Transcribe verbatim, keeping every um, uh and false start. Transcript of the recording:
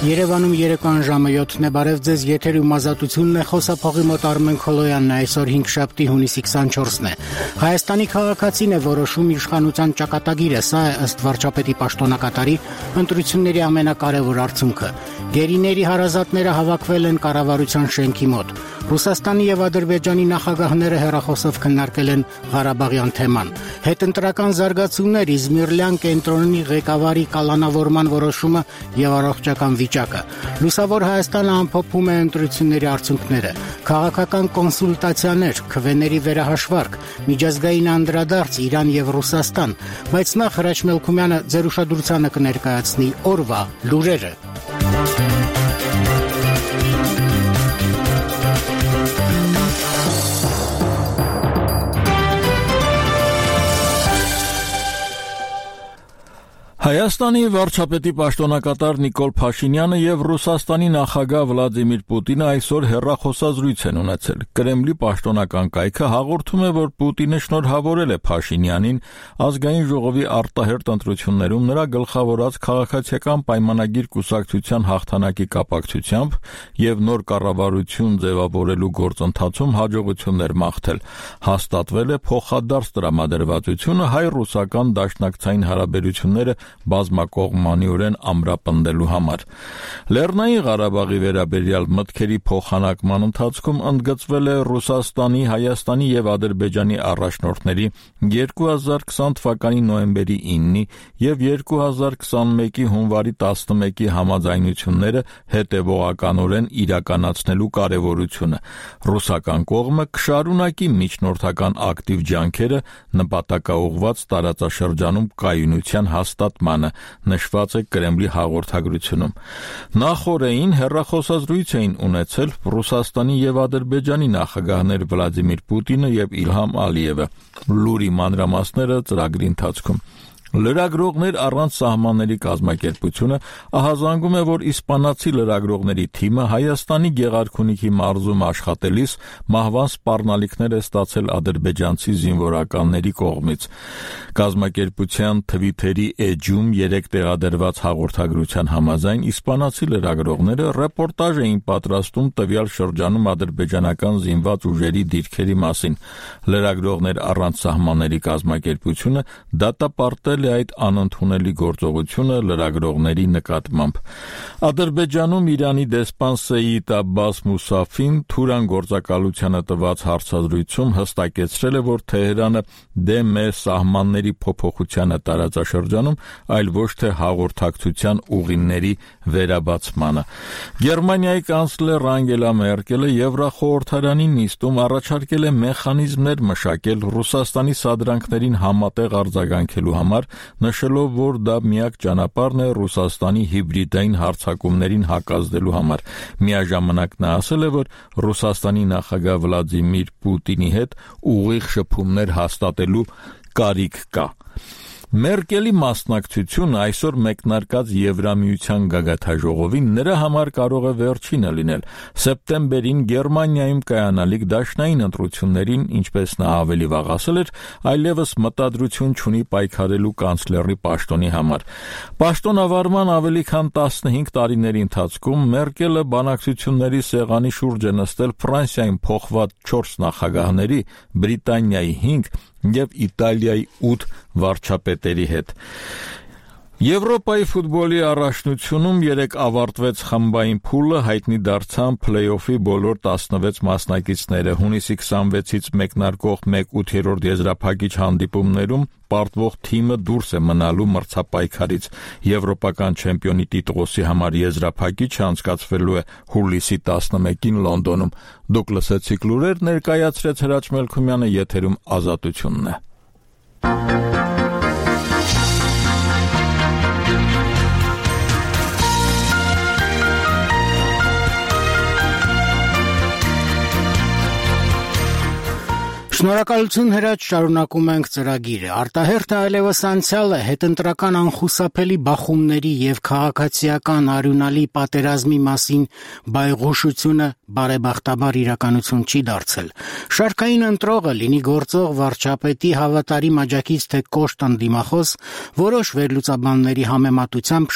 Երևանում երեկոյան ժամը յոթն է, բարև ձեզ, եթերում ազատությունն է, խոսափողի մոտ Արմեն Քոլոյանն է, այսօր հինգշաբթի հունիսի քսանչորսն է։ Հայաստանի քաղաքացին է որոշում իշխանության ճակատագիրը, սա է ըստ վարչապետի պաշտոնակատարի ընտրությունների ամենակարևոր արդյունքը։ Գերիների հարազատները հավաքվել են կառավարության շենքի մոտ։ Ռուսաստանի եւ Ադրբեջանի նախագահները հեռախոսով քննարկել են Ղարաբաղյան թեման։ Հետընտրական զարգացումներ, Իզմիրլյան կենտրոնի ղեկավարի կալանավորման որոշումը եւ առողջական վիճակը։ Լուսավոր Հայաստանը ամփոփում է ընտրությունների արդյունքները։ Քաղաքական կոնսուլտացիաներ, քվեների վերահաշվարկ, միջազգային անդրադարձ Իրան եւ Ռուսաստան, բայց նախ Հրաչ Մելքումյանը ձեր ուշադրությանը կներկայացնի օրվա լուրերը։ Հայաստանի վարչապետի պաշտոնակատար Նիկոլ Փաշինյանը եւ Ռուսաստանի նախագահ Վլադիմիր Պուտինը այսօր հեռախոսազրույց են ունեցել։ Կրեմլի պաշտոնական կայքը հաղորդում է, որ Պուտինը շնորհավորել է Փաշինյանին ազգային ժողովի արտահերթ ընտրություններում նրա գլխավորած քաղաքացիական պայմանագիր կուսակցության հաղթանակի կապակցությամբ եւ նոր կառավարություն ձևավորելու գործընթացում հաջողություններ մաղթել։ Հաստատվել է փոխադարձ տրամադրվածությունը հայ-ռուսական դաշնակցային հարաբերությունները բազմակողմանիորեն ամրապնդելու համար։ Լեռնային Ղարաբաղի վերաբերյալ մտքերի փոխանակման ընթացքում ընդգծվել է Ռուսաստանի, Հայաստանի եւ Ադրբեջանի առաջնորդների երկու հազար քսան թվականի նոյեմբերի իննի եւ երկու հազար քսանմեկի հունվարի տասնմեկի համաձայնությունները հետեւողականորեն իրականացնելու կարեւորությունը։ Ռուսական կողմը կշարունակի միջնորդական ակտիվ ջանքերը նպատակաուղղված տարածաշրջանում կայունության հաստատմանը, նշված է Կրեմլի հաղորդագրությունում։ Նախորդին հեռախոսազրույց էին ունեցել Ռուսաստանի եւ Ադրբեջանի նախագահներ Վլադիմիր Պուտինը եւ Իլհամ Ալիևը։ Լուրի մանրամասները ծրագրի ընթացքում։ Լրագրողներ առանց սահմանների կազմակերպությունը ահազանգում է, որ իսպանացի լրագրողների թիմը Հայաստանի Գեղարքունիքի մարզում աշխատելիս մահվան սպառնալիքներ է ստացել ադրբեջանցի զինվորականների կողմից։ Կազմակերպության Թվիթերի էջում երեք տեղադրված հաղորդագրության համաձայն իսպանացի լրագրողները ռեպորտաժ էին պատրաստում տվյալ շրջանում ադրբեջանական զինված ուժերի դիրքերի մասին։ Լրագրողներ առանց սահմանների կազմակերպությունը դատապարտել այդ անընդունելի գործողությունը լրագրողների նկատմամբ։ Ադրբեջանում Իրանի դեսպան Սեյիդ Աբբաս Մուսաֆին թուրան գործակալությանը տված հարցազրույցում հստակեցրել է, որ Թեհրանը դեմ է սահմանների փոփոխությանը տարածաշրջանում, այլ ոչ թե հաղորդակցության ուղիների վերաբացմանը։ Գերմանիայի կանցլեր Անգելա Մերկելը Եվրախորհրդարանի նիստում առաջարկել է մեխանիզմներ մշակել Ռուսաստանի սադրանքներին համատեղ արձագանքելու համար, նշելով, որ դա միակ ճանապարհն է Ռուսաստանի հիբրիդային հարձակումներին հակազդելու համար։ Միաժամանակ նա ասել է, որ Ռուսաստանի նախագահ Վլադիմիր Պուտինի հետ ուղիղ շփումներ հաստատելու կարիք կա։ Մերկելի մասնակցությունը այսօր մեկնարկած Եվրամիության գագաթաժողովին նրա համար կարող է վերջինը լինել։ Սեպտեմբերին Գերմանիայում կայանալիք դաշնային ընտրություններին, ինչպես նա ավելի վաղ ասել էր, այլևս մտադրություն չունի պայքարելու կանցլերի պաշտոնի համար։ Պաշտոնավարման ավելի քան տասնհինգ տարիների ընթացքում Մերկելը բանակցությունների սեղանի շուրջ է նստել Ֆրանսիայում փոխված չորս նախագահների, Բրիտանիայի հինգ եւ Իտալիայի ութ վարչապետերի հետ։ Եվրոպայի ֆուտբոլի առաջնությունում երեկ ավարտվեց խմբային փուլը, հայտնի դարձան փլեյօֆի բոլոր տասնվեց մասնակիցները։ Հունիսի քսանվեցից մեկնարկող մեկ ութերորդ եզրափակիչ հանդիպումներում պարտվող թիմը դուրս է մնալու մրցապայքարից։ Եվրոպական չեմպիոնի տիտղոսի համար եզրափակիչը անցկացվելու է հուլիսի տասնմեկին Լոնդոնում։ Դուք լսեցիք լուրեր, ներկայացրեց Հրաչ Մելքումյանը, եթերում ազատությունն է։ Շնորհակալություն Հրաչ, շարունակում ենք ծրագիրը։ Արտահերթը այլևս անցյալ է, հետընտրական անխուսափելի բախումների եւ քաղաքացիական արյունալի պատերազմի մասին բայղուշությունը բարեբախտաբար իրականություն չի դարձել։ Շարքային ընտրողը, լինի գործող վարչապետի հավատարիմ աջակից թե կոշտ ընդդիմախոս, որոշ վերլուծաբանների համեմատությամբ